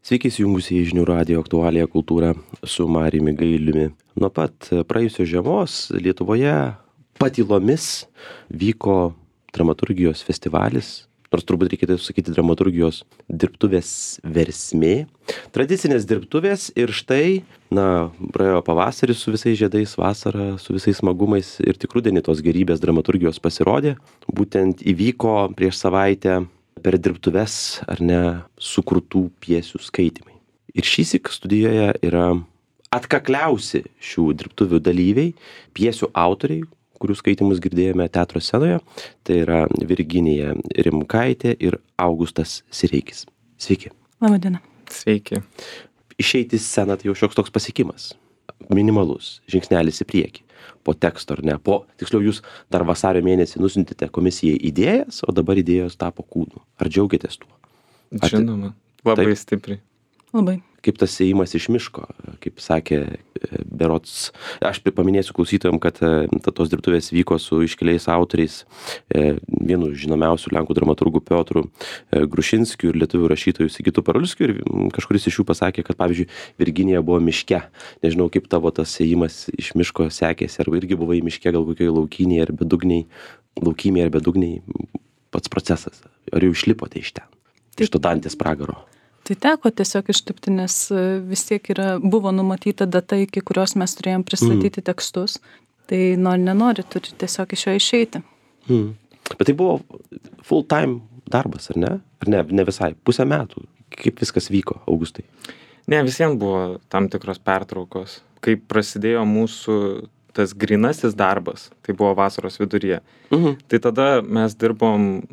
Sveiki įsijungusi į Žinių radijo aktualiją kultūrą su Mariumi Gailiumi. Nuo pat praėjusios žiemos Lietuvoje patylomis vyko dramaturgijos festivalis, nors turbūt reikėtų sakyti dramaturgijos dirbtuvės versmė. Tradicinės dirbtuvės ir štai, praėjo pavasaris su visais žiedais, vasara su visais smagumais ir tik rudenį tos gerybės dramaturgijos pasirodė. Būtent įvyko prieš savaitę per dirbtuves, ar ne, sukurtų pjesių skaitymai. Ir šįsyk studijoje yra atkakliausi šių dirbtuvių dalyviai, pjesių autoriai, kurių skaitymus girdėjome teatro scenoje. Tai yra Virginija Rimkaitė ir Augustas Sireikis. Sveiki. Labadiena. Sveiki. Išeiti į sceną tai jau šioks toks pasiekimas. Minimalus, žingsnelis į priekį. Po teksto, ar ne? Tiksliau, jūs dar vasario mėnesį nusiuntėte komisijai idėjas, o dabar idėjos tapo kūnu. Ar džiaugiatės tuo? Žinoma, labai Taip. stipriai. Labai. Kaip tas ėjimas iš miško, kaip sakė berods, aš paminėsiu klausytojams, kad tos dirbtuvės vyko su iškiliais autoriais, vienu žinomiausių lenkų dramaturgų Piotru Grušinskiu ir lietuvių rašytojų Sigitu Parulskiu, ir kažkuris iš jų pasakė, kad pavyzdžiui Virginija buvo miške. Nežinau, kaip tavo tas ėjimas iš miško sekėsi, ar irgi buvai miške, gal kokioje laukymėje ar bedugniai, pats procesas, ar jau išlipote iš ten, iš to Dantės pragaro? Tai teko tiesiog išlipti, nes vis tiek buvo numatyta data, iki kurios mes turėjom pristatyti tekstus. Tai nenori, turi tiesiog iš jo išeiti. Bet tai buvo full time darbas, ar ne? Ar ne visai? Pusę metų. Kaip viskas vyko, Augustai? Ne, visiems buvo tam tikros pertraukos. Kai prasidėjo mūsų tas grynasis darbas, tai buvo vasaros viduryje. Tai tada mes dirbom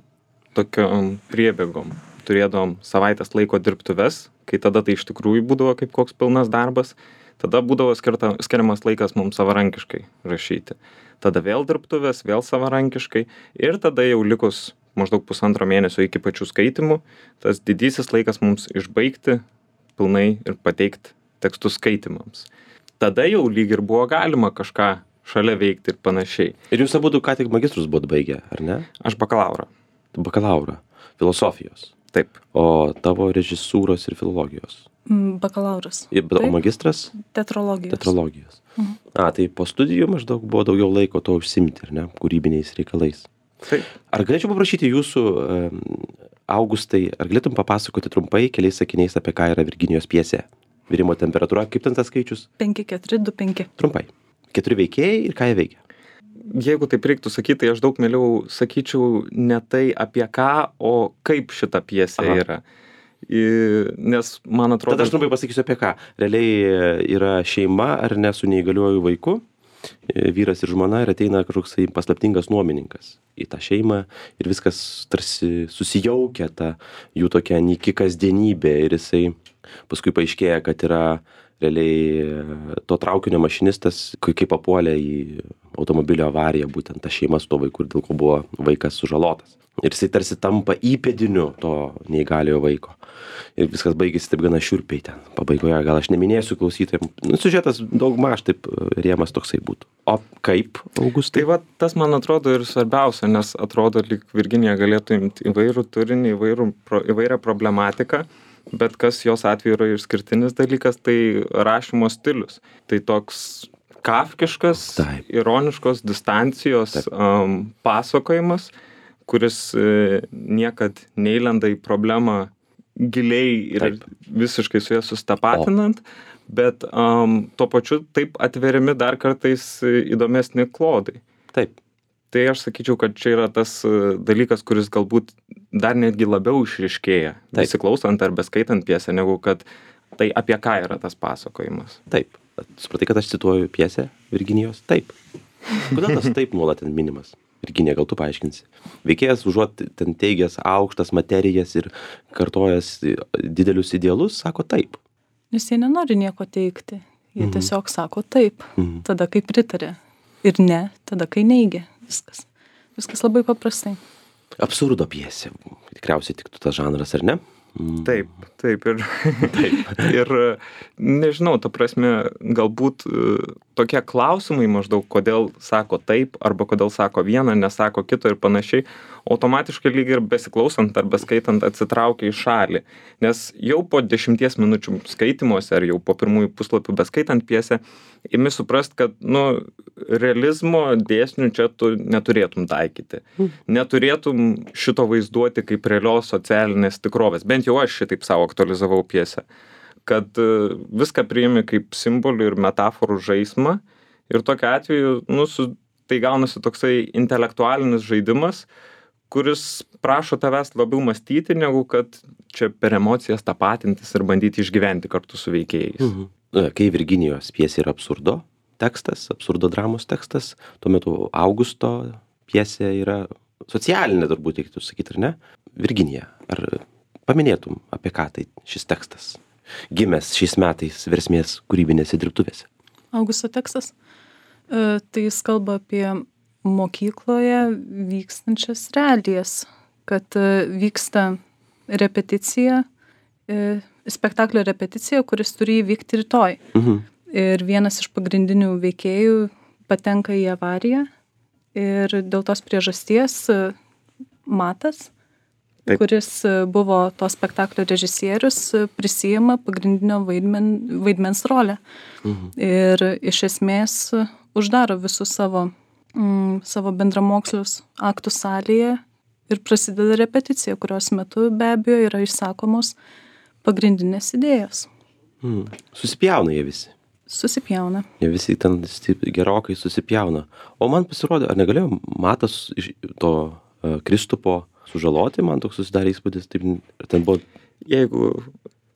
tokiom priebėgom. Turėdom savaitės laiko dirbtuves, kai tada tai iš tikrųjų būdavo kaip koks pilnas darbas, tada būdavo skiriamas laikas mums savarankiškai rašyti. Tada vėl dirbtuvės, vėl savarankiškai ir tada jau likus maždaug 1,5 mėnesio iki pačių skaitimų, tas didysis laikas mums išbaigti pilnai ir pateikti tekstus skaitimams. Tada jau lyg ir buvo galima kažką šalia veikti ir panašiai. Ir jūs abudu ką tik magistrus buvot baigę, ar ne? Aš bakalaurą. Bakalaurą. Filosofijos. Taip. O tavo režisūros ir filologijos? Bakalauras. O magistras? Teatrologijos. Tai po studijų maždaug buvo daugiau laiko to užsiimti, ar ne? Kūrybiniais reikalais. Taip. Ar galėčiau paprašyti jūsų, Augustai, ar galėtum papasakoti trumpai keliais sakiniais, apie ką yra Virginijos pjesė? Virimo temperatūra, kaip ten tas skaičius? 5, 4, 2, 5. Trumpai. 4 veikėjai ir ką jie veikia? Jeigu taip reiktų sakyti, tai aš daug mieliau sakyčiau ne tai apie ką, o kaip šita pjesė yra. Nes man atrodo... Tada aš trumpai pasakysiu apie ką. Realiai yra šeima, ar ne, su neįgaliuoju vaiku, vyras ir žmona, ir ateina kažkoks paslaptingas nuomininkas į tą šeimą ir viskas tarsi susijaukia ta jų tokia nyki kasdienybė ir jisai paskui paaiškėja, kad yra realiai to traukinio mašinistas, kai papuolė į automobilio avariją, būtent ta šeima su to vaiku, ir dėl ko buvo vaikas sužalotas. Ir jisai tarsi tampa įpėdiniu to neįgaliojo vaiko. Ir viskas baigėsi taip gana šiurpiai ten. Pabaigoje gal aš neminėsiu klausytojams. Siužetas daugmaž taip rėmas toksai būtų. O kaip, Augustai? Tai tas man atrodo ir svarbiausia, nes atrodo, lyg Virginija galėtų imti įvairų turinį, įvairią problematiką. Bet kas jos atveju yra išskirtinis dalykas, tai rašymo stilius. Tai toks kafkiškas, ironiškos distancijos pasakojimas, kuris niekad neįlenda į problemą giliai ir visiškai su ja sustapatinant, bet tuo pačiu taip atveriami dar kartais įdomesni klodai. Taip. Tai aš sakyčiau, kad čia yra tas dalykas, kuris galbūt dar netgi labiau išryškėja, įsiklausant ar beskaitant pjesę, negu kad tai apie ką yra tas pasakojimas. Taip. Supratai, kad aš cituoju pjesę Virginijos? Taip. Kodėl tas taip nuolat ten minimas? Virginija, gal tu paaiškinsi. Veikėjas užuot ten teigęs aukštas materijas ir kartojas didelius idealus, sako taip. Nes jie nenori nieko teikti. Jie tiesiog sako taip. Tada kai pritarė. Ir ne, tada kai neigia. Viskas labai paprastai. Absurdo pjesė. Tikriausiai tiktų tas žanras, ar ne? Taip. Ir nežinau, ta prasme, galbūt tokie klausimai maždaug, kodėl sako taip, arba kodėl sako vieną, nesako kito ir panašiai, automatiškai lyg ir besiklausant ar beskaitant atsitraukia į šalį. Nes jau po 10 minučių skaitymuose ar jau po pirmųjų puslapių beskaitant pjesę, imi suprast, kad, realizmo dėsnių čia tu neturėtum taikyti. Neturėtum šito vaizduoti kaip realios socialinės tikrovės. Bent jau aš šitaip savo aktualizavau pjesę. Kad viską priimi kaip simbolių ir metaforų žaismą ir tokiu atveju, tai gaunasi toksai intelektualinis žaidimas, kuris prašo tavęs labiau mąstyti, negu kad čia per emocijas tapatintis ir bandyti išgyventi kartu su veikėjais. Kai Virginijos pjesė yra absurdo tekstas, absurdo dramos tekstas, tuo metu Augusto pjesė yra socialinė, turbūt reikėtų sakyti, ar ne? Virginija, ar paminėtum, apie ką tai šis tekstas? Gimęs šiais metais Versmės kūrybinėse dirbtuvėse. Augusto tekstas, tai jis kalba apie mokykloje vykstančias realijas, kad vyksta repeticija, spektaklio repeticija, kuris turi įvykti rytoj. Ir vienas iš pagrindinių veikėjų patenka į avariją ir dėl tos priežasties Matas, kuris buvo to spektaklio režisierius, prisijima pagrindinio vaidmens rolę. Ir iš esmės uždaro visus savo bendramokslius aktų salėje ir prasideda repeticija, kurios metu be abejo yra išsakomos pagrindinės idėjos. Susipjauna jie visi. Susipjauna. Jie visi ten gerokai susipjauna. O man pasirodė, ar negalėjo Matas iš to Kristupo sužaloti, man toks susidarė įspūdis, taip, ten buvo... Jeigu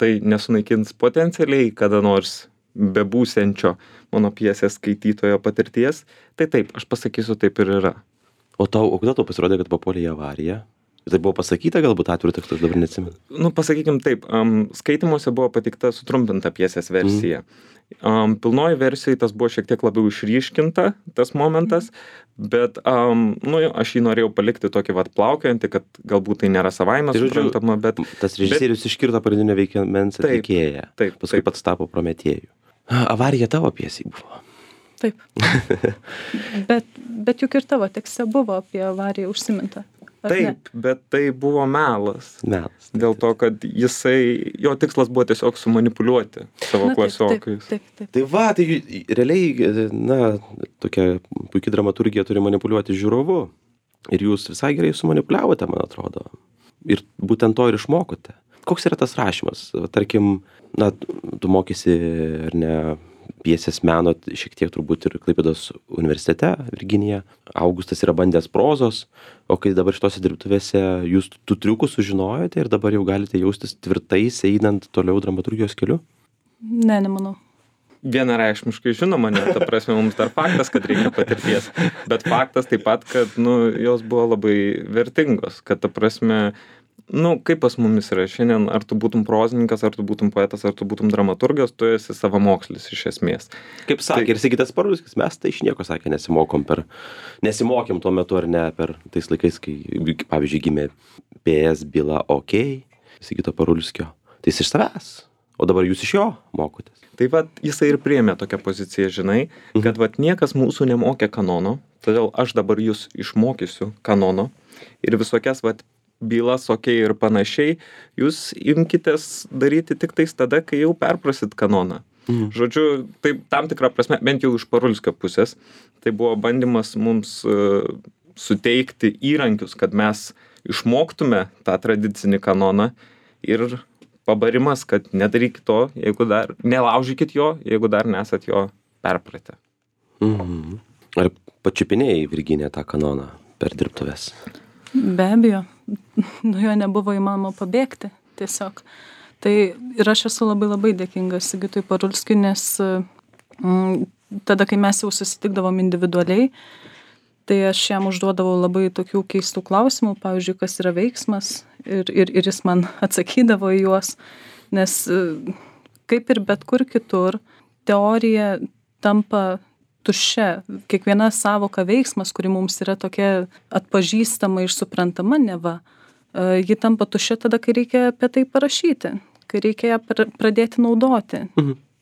tai nesunaikins potencialiai kada nors bebūsiančio mano pjesės skaitytojo patirties, tai taip, aš pasakysiu, taip ir yra. O kodėl tau pasirodė, kad papuolė į avariją? Tai buvo pasakyta galbūt atviru tekstu, aš dabar neatsimenu. Pasakykim taip, skaitymuose buvo pateikta sutrumpinta pjesės versija. Pilnoji versijai tas buvo šiek tiek labiau išryškinta, tas momentas, bet aš jį norėjau palikti tokį plaukiantį, kad galbūt tai nėra savaime suprantama, bet... Tas režisierius iškirto pagrindinio veikmens atlikėją, paskui pats tapo Prometėjų. Avarija tavo pjesei buvo. Taip. Bet juk ir tavo tekste buvo apie avariją užsiminta. Taip, bet tai buvo melas. Dėl to, kad jo tikslas buvo tiesiog sumanipuliuoti savo klasiokais. Taip. Tai realiai, tokia puikia dramaturgija turi manipuliuoti žiūrovu. Ir jūs visai gerai sumanipuliavote, man atrodo. Ir būtent to ir išmokote. Koks yra tas rašymas? Tarkim, tu mokysi, ar ne, pjesės meno šiek tiek turbūt ir Klaipėdos universitete, Virginija. Augustas yra bandęs prozos, o kai dabar šitose dirbtuvėse jūs tų triukų sužinojote ir dabar jau galite jaustis tvirtais, einant toliau dramaturgijos keliu? Ne, nemanau. Vienareikšmiškai žinoma, ta prasme, mums dar faktas, kad reikia patirties, bet faktas taip pat, kad, jos buvo labai vertingos, kad ta prasme, kaip pas mumis yra šiandien, ar tu būtum prozininkas, ar tu būtum poetas, ar tu būtum dramaturgas, tu esi savamokslis iš esmės. Kaip sakė ir Sigitas Parulskis, mes tai iš nieko, sakė, nesimokėm tuo metu ar ne per tais laikais, kai, pavyzdžiui, gimė PS byla OK, Sigito Parulskio. Tai jis iš savęs, o dabar jūs iš jo mokotės. Tai jisai ir priėmė tokią poziciją, žinai, kad niekas mūsų nemokė kanono, todėl aš dabar jūs išmokysiu kanono ir visokias bylas, ir panašiai, jūs imkitės daryti tik tais tada, kai jau perprasit kanoną. Žodžiu, tai tam tikrą prasme, bent jau iš Parulskio pusės, tai buvo bandymas mums suteikti įrankius, kad mes išmoktume tą tradicinį kanoną ir pabarimas, kad nedarykit to, nelaužykit jo, jeigu dar nesat jo perpratę. Ar pačiupinėjai, Virginija, tą kanoną per dirbtuves? Be abejo, nuo jo nebuvo įmanoma pabėgti tiesiog. Tai ir aš esu labai labai dėkinga Sigitui Parulskiui, nes tada, kai mes jau susitikdavom individualiai, tai aš jam užduodavau labai tokių keistų klausimų, pavyzdžiui, kas yra veiksmas, ir jis man atsakydavo į juos, nes kaip ir bet kur kitur, teorija tampa tuščia. Kiekviena sąvoka veiksmas, kuri mums yra tokia atpažįstama ir suprantama neva, ji tampa tuščia tada, kai reikia apie tai parašyti, kai reikia ją pradėti naudoti.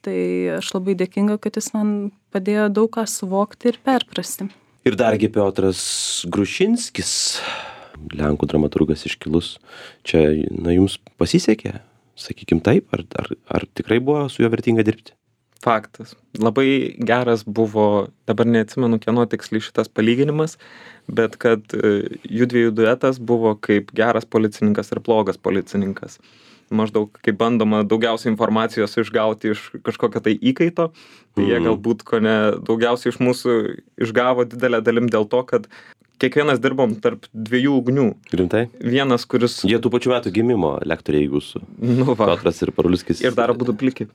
Tai aš labai dėkinga, kad jis man padėjo daug ką suvokti ir perprasti. Ir dargi Piotras Grušinskis, lenkų dramaturgas iškilus, čia, jums pasisekė, sakykim taip, ar tikrai buvo su juo vertinga dirbti? Faktas. Labai geras buvo, dabar neatsimenu, kieno tiksliai šitas palyginimas, bet kad jųdviejų duetas buvo kaip geras policininkas ir blogas policininkas. Maždaug kaip bandoma daugiausiai informacijos išgauti iš kažkokio tai įkaito, tai jie galbūt daugiausiai iš mūsų išgavo didelę dalim dėl to, kad kiekvienas dirbom tarp dviejų ugnių. Rimtai? Vienas, kuris... Jie tų pačių metų gimimo lektoriai jūsų. Piotras ir Parulskis. Ir dar abudu pliki.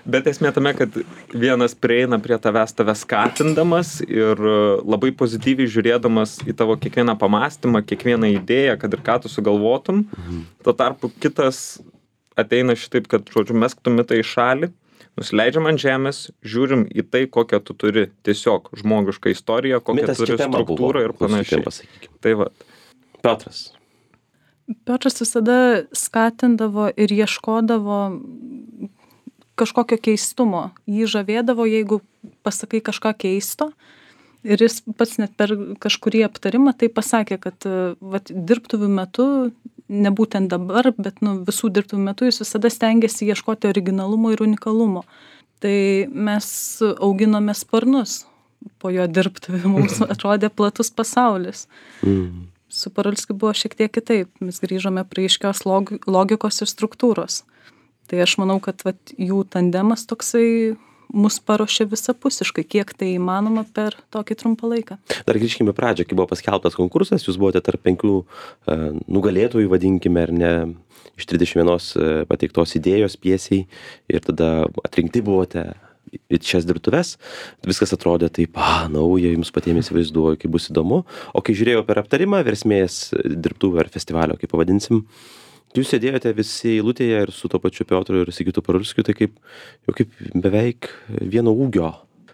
Bet esmė tame, kad vienas prieina prie tave skatindamas ir labai pozityviai žiūrėdamas į tavo kiekvieną pamąstymą, kiekvieną idėją, kad ir ką tu sugalvotum. Tuo tarpu kitas ateina šitaip, kad, žodžiu, mesk tu mitą į šalį, nusileidžiam ant žemės, žiūrim į tai, kokią tu turi tiesiog žmogišką istoriją, kokią turi struktūrą ir panašiai. Tai va. Piotras visada skatindavo ir ieškodavo kažkokio keistumo. Jį žavėdavo, jeigu pasakai kažką keisto. Ir jis pats net per kažkurį aptarimą tai pasakė, kad dirbtuvių metu, ne būtent dabar, bet visų dirbtuvių metu jis visada stengiasi ieškoti originalumo ir unikalumo. Tai mes auginome sparnus po jo dirbtuvių, mums atrodė platus pasaulis. Su Parulskiu buvo šiek tiek kitaip, mes grįžome prie aiškios logikos ir struktūros. Tai aš manau, kad jų tandemas toksai mus paruošė visapusiškai, kiek tai įmanoma per tokį trumpą laiką. Dar grįžkime pradžią, kai buvo paskelbtas konkursas, jūs buvote tarp 5 nugalėtojų, vadinkime, ar ne, iš 31 pateiktos idėjos pjesiai ir tada atrinkti buvote į šias dirbtuves. Viskas atrodė taip, nauja, jums patiems įsivaizduoju, kaip bus įdomu. O kai žiūrėjau per aptarimą Versmės dirbtuvę ar festivalio, kaip pavadinsim, jūs sėdėjote visi eilutėje ir su to pačiu Piotru ir Sigitu Parulskiu, tai kaip beveik vieno ūgio.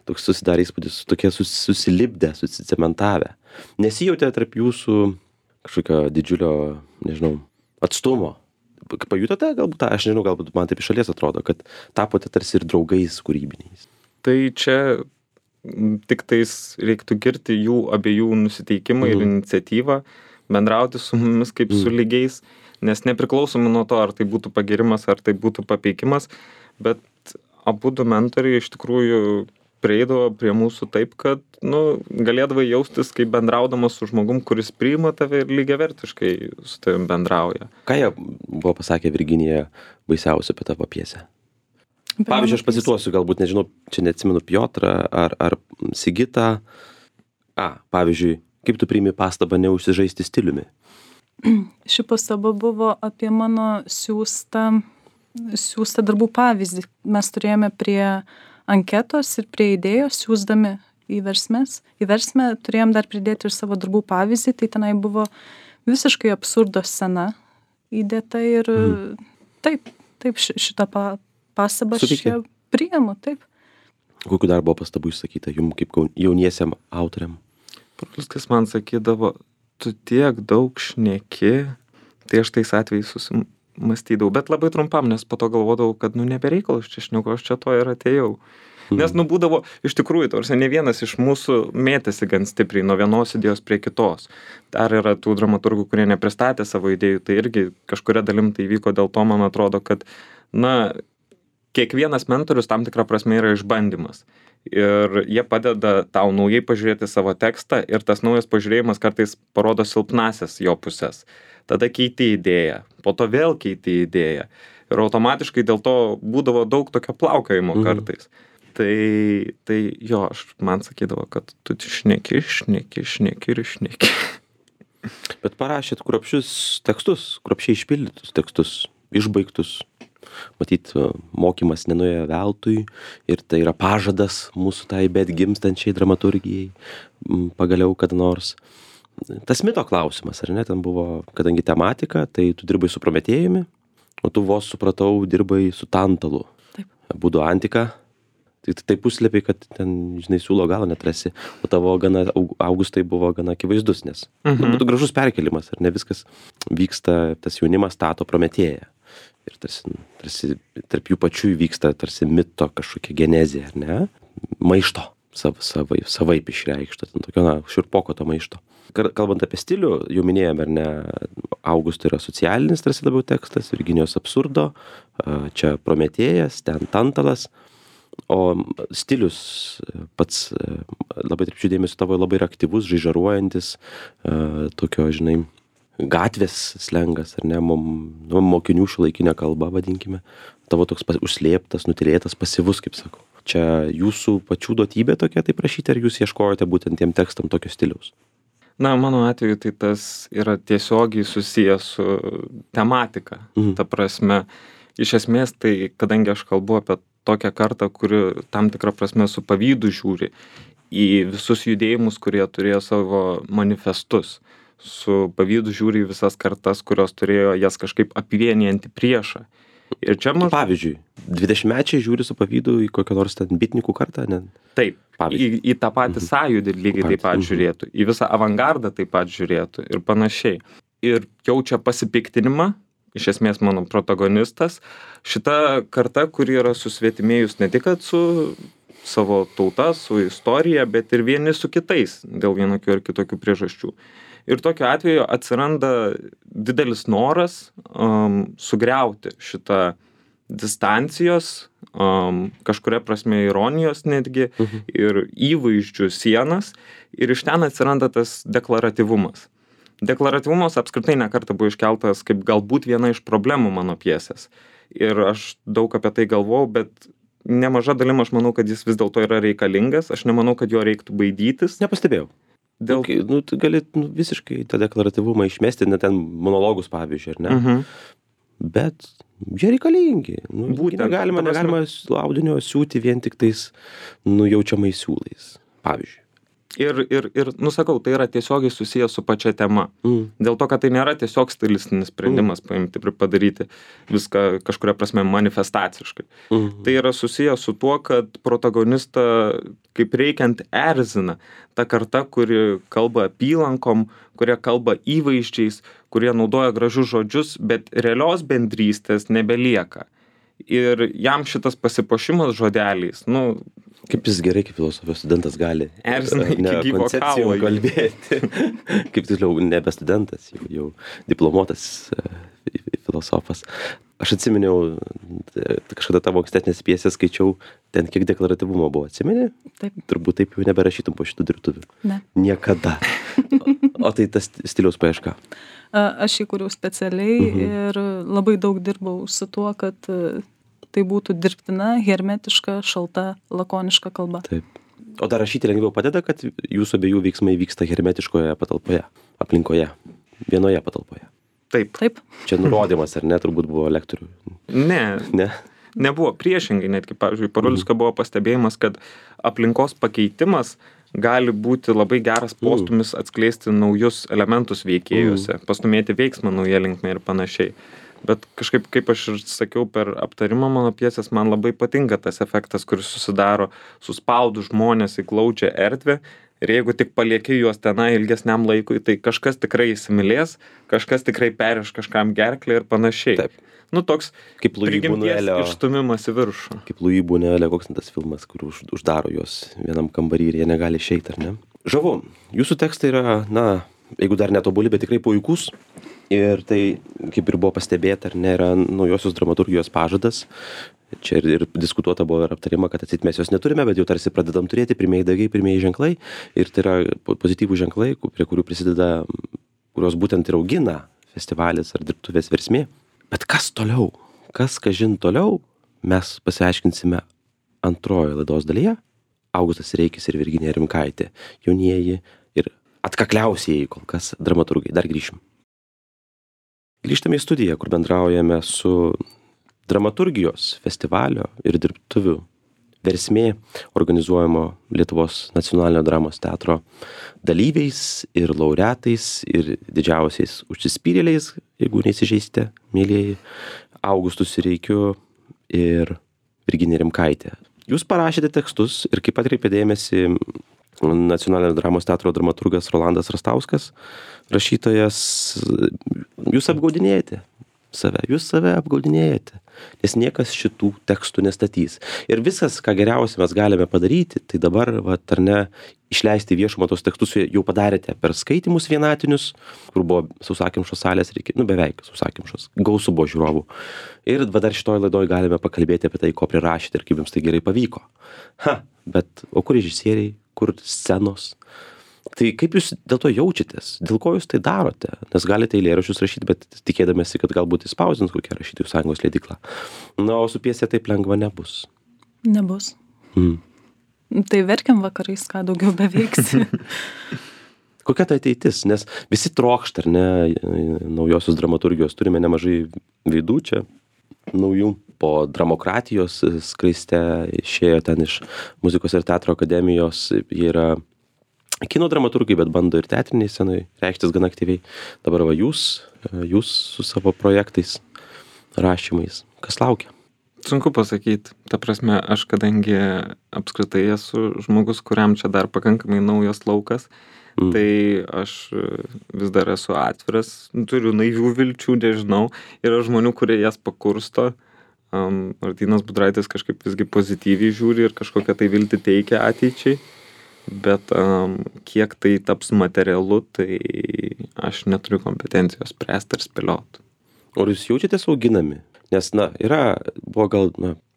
Toks susidarė įspūdis, tokie susilipdę, susicementavę. Nesijautė tarp jūsų kažkokio didžiulio, atstumo. Pajutote galbūt, aš nežinau, galbūt man taip iš šalies atrodo, kad tapote tarsi ir draugais kūrybiniais. Tai čia tik tais reiktų girti jų abiejų nusiteikimą ir iniciatyvą, bendrauti su mumis kaip su lygiais. Nes nepriklausomai nuo to, ar tai būtų pagirimas, ar tai būtų papeikimas, bet abudu mentoriai iš tikrųjų prieidavo prie mūsų taip, kad galėdavai jaustis kaip bendraudamas su žmogum, kuris priima tave ir lygiavertiškai su tavim bendrauja. Ką jie buvo pasakę Virginija baisiausia apie tavo pjesę? Pavyzdžiui, aš pacituosiu, galbūt, nežinau, čia neatsimenu Piotrą ar Sigitą. Pavyzdžiui, kaip tu priimi pastabą neužsižaisti stiliumi? Ši pastaba buvo apie mano siųstą darbų pavyzdį. Mes turėjome prie anketos ir prie idėjos siųsdami į Versmę turėjom dar pridėti ir savo darbų pavyzdį, tai tenai buvo visiškai absurdo scena įdėta ir taip šitą pastabą aš priimu, taip. Kokiu dar buvo pastabų išsakyta jums kaip jauniesiam autoriam? Parulskis man sakydavo, tu tiek daug šneki, tai aš tais atvejais susimastydavau, bet labai trumpam, nes po to galvodavau, kad nebereikalo aš čia šneku, aš čia to ir atėjau. Nes būdavo, iš tikrųjų, ne vienas iš mūsų mėtėsi gan stipriai nuo vienos idėjos prie kitos. Dar yra tų dramaturgų, kurie nepristatė savo idėjų, tai irgi kažkuria dalim tai vyko, dėl to man atrodo, kad, kiekvienas mentorius tam tikrą prasme yra išbandymas. Ir jie padeda tau naujai pažiūrėti savo tekstą ir tas naujas pažiūrėjimas kartais parodo silpnasias jo pusės. Tada keiti idėją, po to vėl keiti idėją. Ir automatiškai dėl to būdavo daug tokio plaukojimo kartais. Tai jo, man sakydavo, kad tu šneki. Bet parašėt kruopščius tekstus, kruopščiai išpildytus tekstus, išbaigtus. Matyt, mokymas nenuėjo veltui ir tai yra pažadas mūsų tai bet gimstančiai dramaturgijai pagaliau kada nors. Tas mito klausimas, ar ne, ten buvo, kadangi tematika, tai tu dirbai su Prometėjumi, o tu vos supratau, dirbai su Tantalu. Taip. Būdu antika, tai puslapiai, kad ten, siūlo galo netrasi, o tavo Augustai buvo gana akivaizdus, nes būtų gražus perkelimas, ar ne viskas vyksta, tas jaunimas stato Prometėją. Ir tarsi tarp jų pačių įvyksta tarsi mito kažkokia genezė, ar ne? Maišto, savaip išreikšto, ten tokio, šiurpoko to maišto. Kalbant apie stilių, jau minėjome, ar ne, Augusto yra socialinis tarsi labiau tekstas, Virginijos absurdo, čia Prometėjas, ten Tantalas, o stilius pats labai atkreipčiau dėmesį tavo labai yra aktyvus, žaižaruojantis, tokio, žinai, gatvės slengas, ar ne, mokinių šiuolaikinė kalba, vadinkime, tavo toks užslėptas, nutylėtas, pasyvus, kaip sakau. Čia jūsų pačių duotybė tokia taip rašyti, ar jūs ieškojote būtent tiem tekstam tokio stiliaus? Na, mano atveju tai tas yra tiesiogiai susijęs su tematika. Ta prasme, iš esmės tai, kadangi aš kalbu apie tokią kartą, kuri tam tikrą prasme su pavydu žiūri į visus judėjimus, kurie turėjo savo manifestus, su pavydu žiūri į visas kartas, kurios turėjo jas kažkaip apvienijantį priešą. Ir čia pavyzdžiui, 20-mečiai žiūri su pavydu į kokią nors ten bitnikų kartą, ne? Taip, į tą patį sąjūdį lygiai taip pat žiūrėtų, į visą avangardą taip pat žiūrėtų ir panašiai. Ir jaučia pasipiktinimą, iš esmės mano protagonistas, šita karta, kuri yra susvetimėjus ne tik su savo tauta, su istorija, bet ir vieni su kitais dėl vienokių ar kitokių priežasčių. Ir tokiu atveju atsiranda didelis noras sugriauti šitą distancijos, kažkuria prasme ironijos netgi, ir įvaizdžių sienas, ir iš ten atsiranda tas deklaratyvumas. Deklaratyvumas apskritai nekartą buvo iškeltas kaip galbūt viena iš problemų mano pjesės. Ir aš daug apie tai galvojau, bet nemaža dalim aš manau, kad jis vis dėlto yra reikalingas, aš nemanau, kad jo reiktų baidytis. Nepastebėjau. Tu gali visiškai tą deklaratyvumą išmesti, net ten monologus pavyzdžiui, ar ne? Bet jie reikalingi. Negalima audinio siūti vien tik tais nujaučiamais siūlais, pavyzdžiui. Ir, sakau, tai yra tiesiogiai susijęs su pačia tema. Dėl to, kad tai nėra tiesiog stilistinis sprendimas paimti ir padaryti viską kažkuria prasme manifestaciškai. Tai yra susijęs su tuo, kad protagonistą kaip reikiant erzina ta karta, kuri kalba apylankom, kurie kalba įvaizdžiais, kurie naudoja gražius žodžius, bet realios bendrystės nebelieka. Ir jam šitas pasipuošimas žodeliais, kaip jis gerai, kaip filosofijos studentas gali koncepcijų kalbėti. Kaip tiksliau, nebe studentas, jau diplomuotas filosofas. Aš atsiminiau, kažkada tavo ankstesnės pjesės skaičiau, ten kiek deklaratyvumo buvo, atsimeni? Taip. Turbūt taip jau neberašytum po šitų dirbtuvių. Ne. Niekada. O tai tas stiliaus paieška? Aš jį kūriau specialiai ir labai daug dirbau su tuo, kad tai būtų dirbtina, hermetiška, šalta, lakoniška kalba. Taip. O dar rašyti lengviau padeda, kad jūsų abiejų veiksmai vyksta hermetiškoje patalpoje, aplinkoje, vienoje patalpoje? Taip. Čia nurodymas, ar ne, turbūt buvo lektorių? Ne. Nebuvo, priešingai, netgi, pavyzdžiui, Parulskio buvo pastebėjimas, kad aplinkos pakeitimas gali būti labai geras postumis atskleisti naujus elementus veikėjuose, pastumėti veiksmą nauja linkme ir panašiai. Bet kažkaip, kaip aš ir sakiau per aptarimą mano pjesės, man labai patinka tas efektas, kuris susidaro suspaudus žmonės į glaudžią erdvę. Ir jeigu tik palieki juos tenai ilgesniam laikui, tai kažkas tikrai įsimylės, kažkas tikrai periš kažkam gerklę ir panašiai. Taip. Toks kaip prigimties išstumimas į viršų. Kaip Louis Buñuelio, koks tas filmas, kur uždaro juos vienam kambarį ir jie negali išeiti, ar ne? Žavu, jūsų tekstai yra, jeigu dar netobuli, bet tikrai puikus. Ir tai, kaip ir buvo pastebėta, ar ne, yra naujosios dramaturgijos pažadas. Čia ir diskutuota buvo ir aptarima, kad atsit mes jos neturime, bet jau tarsi pradedam turėti pirmieji dagiai, pirmieji ženklai. Ir tai yra pozityvų ženklai, prie kurių prisideda, kurios būtent ir augina festivalis ar dirbtuvės Versmė. Bet kas toliau? Kas kažin toliau? Mes pasiaiškinsime antrojoje laidos dalyje. Augustas Reikis ir Virginija Rimkaitė, jaunieji ir atkakliausieji kol kas dramaturgai. Dar grįšim. Grįžtame į studiją, kur bendraujame su dramaturgijos festivalio ir dirbtuvių Versmė organizuojamo Lietuvos nacionalinio dramos teatro dalyviais ir laureatais ir didžiausiais užsispyrėliais, jeigu neįsižeisite, mėlieji, Augustus Reikiu ir Virginija Rimkaitė. Jūs parašėte tekstus ir kaip atkreipė dėmesį nacionalinio dramos teatro dramaturgas Rolandas Rastauskas, rašytojas, jūs apgaudinėjate. save, jūs save apgaudinėjate, nes niekas šitų tekstų nestatys. Ir viskas, ką geriausia mes galime padaryti, tai dabar, ar ne, išleisti viešumą tos tekstus jau padarėte per skaitymus vienatinius, kur buvo sausakimšos salės, beveik sausakimšos, gausų buvo žiūrovų. Ir dar šitoj laidoj galime pakalbėti apie tai, ko prirašėte ir kaip jums tai gerai pavyko. Bet o kur režisieriai, kur scenos? Tai kaip jūs dėl to jaučiatės? Dėl ko jūs tai darote? Nes galite eilėraščius rašyti, bet tikėdamėsi, kad galbūt įspausdins kokią rašytojų sąjungos leidyklą. O su pjesė taip lengva nebus. Nebus. Tai verkiam vakarais, ką daugiau beveiksi. Kokia tai ateitis? Nes visi trokšta, ar ne, naujosios dramaturgijos. Turime nemažai veidų čia, naujų. Po Dramokratijos skraiste išėjo ten iš Muzikos ir teatro akademijos. Jie yra kino dramaturgai, bet bando ir teatriniai scenai reikštis gana aktyviai. Dabar jūs su savo projektais, rašymais. Kas laukia? Sunku pasakyti. Ta prasme, aš kadangi apskritai esu žmogus, kuriam čia dar pakankamai naujas laukas, tai aš vis dar esu atviras, turiu naivių vilčių, nežinau. Yra žmonių, kurie jas pakursto. Martynas Budraitis kažkaip visgi pozityviai žiūri ir kažkokią tai viltį teikia ateičiai. Bet kiek tai taps materialu, tai aš neturiu kompetencijos spręsti ar spėlioti. O jūs jaučiatės auginami? Nes, buvo gal,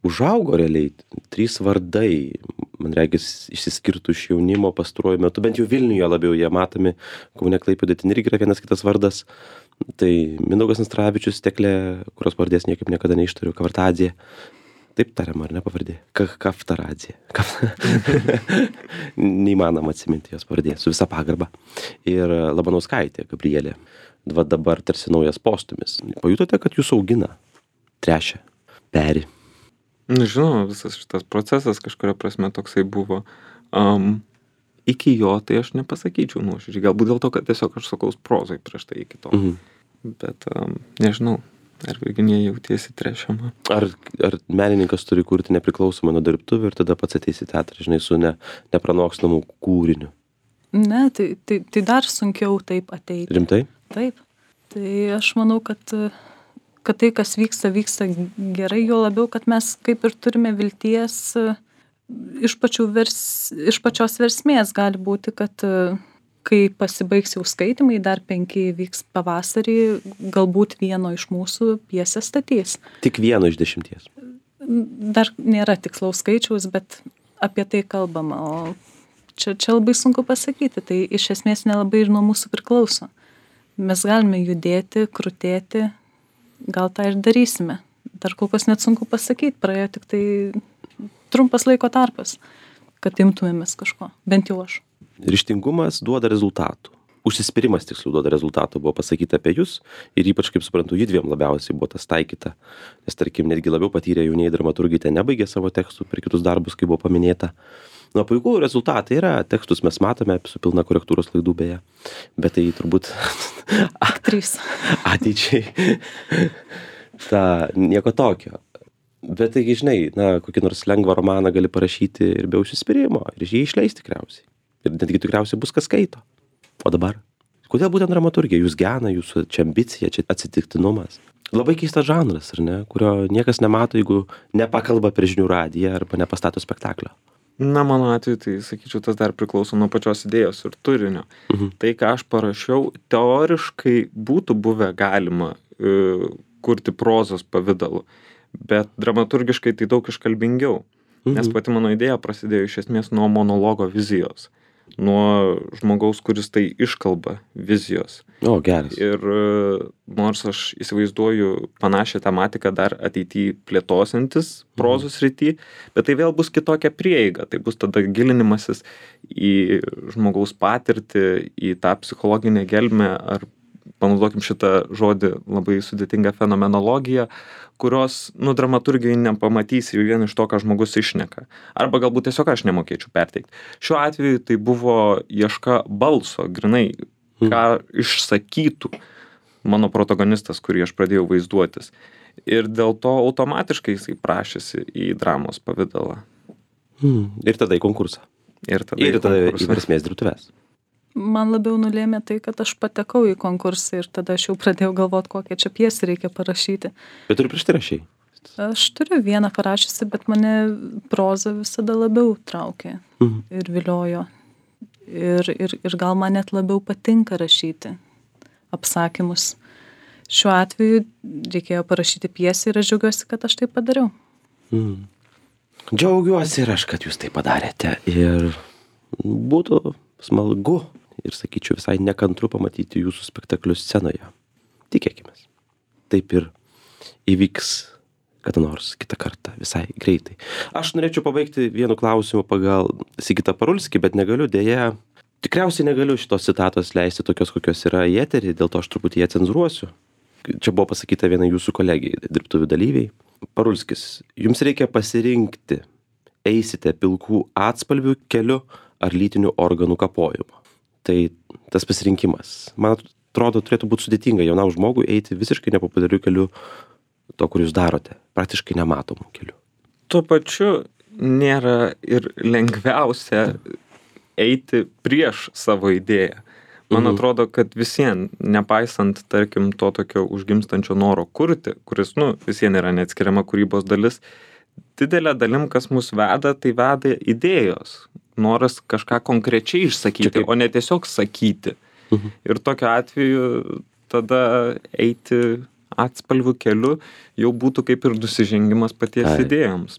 užaugo realiai 3 vardai, man regis, išsiskirtų iš jaunimo pastaruoju metu, bent jau Vilniuje labiau jie matomi, Kaune, Klaipėdoje ten irgi yra vienas kitas vardas. Tai Mindaugas Nastaravičius, Teklė, kurios pavardės niekaip niekada neištariu, Kavartadzė. Taip tariama, ar ne pavardė? Kaftaradzė. Neįmanoma atsiminti jos pavardė, su visa pagarba. Ir Labanauskaitė, Gabrielė. Dabar tarsi naujas postumis. Pajutote, kad jūs augina, trešia, peri? Žinoma, visas šitas procesas kažkuria prasme toksai buvo. Iki jo tai aš nepasakyčiau nuoširdžiai. Galbūt dėl to, kad tiesiog aš sakau prozai prieš tai iki to. Bet nežinau. Ar Virginija jautiesi trešiama? Ar menininkas turi kurti nepriklausomai nuo dirbtuvių ir tada pats ateis į teatrą, žinai, su nepranokstamu kūriniu? Ne, tai dar sunkiau taip ateiti. Rimtai? Taip. Tai aš manau, kad tai, kas vyksta gerai, jo labiau, kad mes kaip ir turime vilties iš pačios versmės. Gali būti, kad kai pasibaigs jau skaitymai, dar 5 vyks pavasarį, galbūt vieno iš mūsų pjesę statys. Tik vieno iš 10? Dar nėra tikslaus skaičiaus, bet apie tai kalbama. O čia labai sunku pasakyti. Tai iš esmės nelabai ir nuo mūsų priklauso. Mes galime judėti, krutėti, gal tą ir darysime. Dar kol kas net sunku pasakyti. Praėjo tik tai trumpas laiko tarpas, kad imtumėmės kažko. Bent jau aš. Ryžtingumas duoda rezultatų. Užsispyrimas tiksliau duoda rezultatų, buvo pasakyta apie jūs ir ypač, kaip suprantu, judviem labiausiai buvo tas taikyta. Nes, tarkim, netgi labiau patyrę jaunieji dramaturgai ten nebaigė savo tekstų per kitus darbus, kaip buvo paminėta. Puikų rezultatai yra, tekstus mes matome su pilna korektūros klaidų beje, bet tai turbūt 3 ateičiai nieko tokio. Bet taigi, žinai, kokį nors lengvą romaną gali parašyti ir be užsispyrimo ir jį išleisti tikriausiai. Ir netgi tikriausiai bus kas skaito. O dabar? Kodėl būtent dramaturgija? Jūs gena, jūsų čia ambicija, čia atsitiktinumas. Labai keistas žanras, ar ne? Kurio niekas nemato, jeigu nepakalba per žinių radiją arba nepastato spektaklio. Mano atveju, tai sakyčiau, tas dar priklauso nuo pačios idėjos ir turinio. Tai, ką aš parašiau, teoriškai būtų buvę galima kurti prozos pavidalu, bet dramaturgiškai tai daug iškalbingiau. Nes pati mano idėja prasidėjo iš esmės nuo monologo vizijos. Nuo žmogaus, kuris tai iškalba vizijos. O, geras. Ir nors aš įsivaizduoju panašią tematiką dar ateityje plėtosiantis prozos srity, bet tai vėl bus kitokia prieiga. Tai bus tada gilinimasis į žmogaus patirtį, į tą psichologinę gelmę, ar panaudokim šitą žodį labai sudėtingą fenomenologiją, kurios, dramaturgijai nepamatysi jau vien iš to, ką žmogus išneka. Arba galbūt tiesiog aš nemokėčiau perteikti. Šiuo atveju tai buvo ieška balso, grinai, ką išsakytų mano protagonistas, kurį aš pradėjau vaizduotis. Ir dėl to automatiškai jisai prašėsi į dramos pavidalą. Ir tada į konkursą. Ir tada į versmės dirbtuves. Man labiau nulėmė tai, kad aš patekau į konkursą ir tada aš jau pradėjau galvot, kokią čia pjesę reikia parašyti. Bet tu ir prieš tai rašei? Aš turiu vieną parašysi, bet mane proza visada labiau traukė ir viliojo. Ir gal man net labiau patinka rašyti apsakymus. Šiuo atveju reikėjo parašyti pjesę ir aš džiaugiuosi, kad aš tai padariau. Džiaugiuosi ir aš, kad jūs tai padarėte. Ir būtų smagu ir, sakyčiau, visai nekantru pamatyti jūsų spektaklius scenoje. Tikėkimės. Taip ir įvyks kada nors kitą kartą, visai greitai. Aš norėčiau pabaigti vienu klausimu pagal Sigitą Parulskį, bet negaliu, dėja, tikriausiai negaliu šitos citatos leisti tokios, kokios yra į eterį, dėl to aš truputį ją cenzūruosiu. Čia buvo pasakyta viena jūsų kolegijai, dirbtuvių dalyviai. Parulskis, jums reikia pasirinkti, eisite pilkų atspalvių keliu ar lytinių organų kapojimu. Tai tas pasirinkimas, man atrodo, turėtų būti sudėtinga jaunam žmogui eiti visiškai nepopuliariu keliu, to, kur jūs darote, praktiškai nematomų kelių. Tuo pačiu nėra ir lengviausia eiti prieš savo idėją. Man atrodo, kad visien, nepaisant, tarkim, to tokio užgimstančio noro kurti, kuris, visien yra neatskiriama kūrybos dalis, didelė dalim, kas mus veda, tai veda idėjos. Noras kažką konkrečiai išsakyti, o ne tiesiog sakyti. Ir tokiu atveju tada eiti atspalvių keliu jau būtų kaip ir nusižengimas paties idėjoms.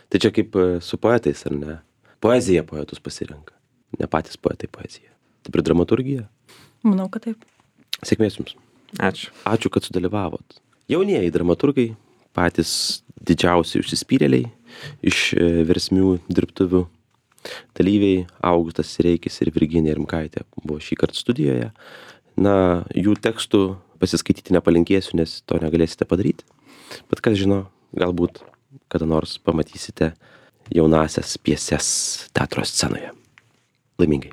Tai čia kaip su poetais, ar ne? Poezija poetus pasirenka, ne patys poetai poeziją. Taip ir dramaturgija? Manau, kad taip. Sėkmės jums. Ačiū. Ačiū, kad sudalyvavot. Jaunieji dramaturgai, patys didžiausi užsispyrėliai iš versmių dirbtuvių dalyviai, Augustas Sireikis ir Virginija Rimkaitė buvo šįkart studijoje. Jų tekstų pasiskaityti nepalinkėsiu, nes to negalėsite padaryti. Bet kas žino, galbūt kada nors pamatysite jaunasias pjeses teatro scenoje. Laimingai.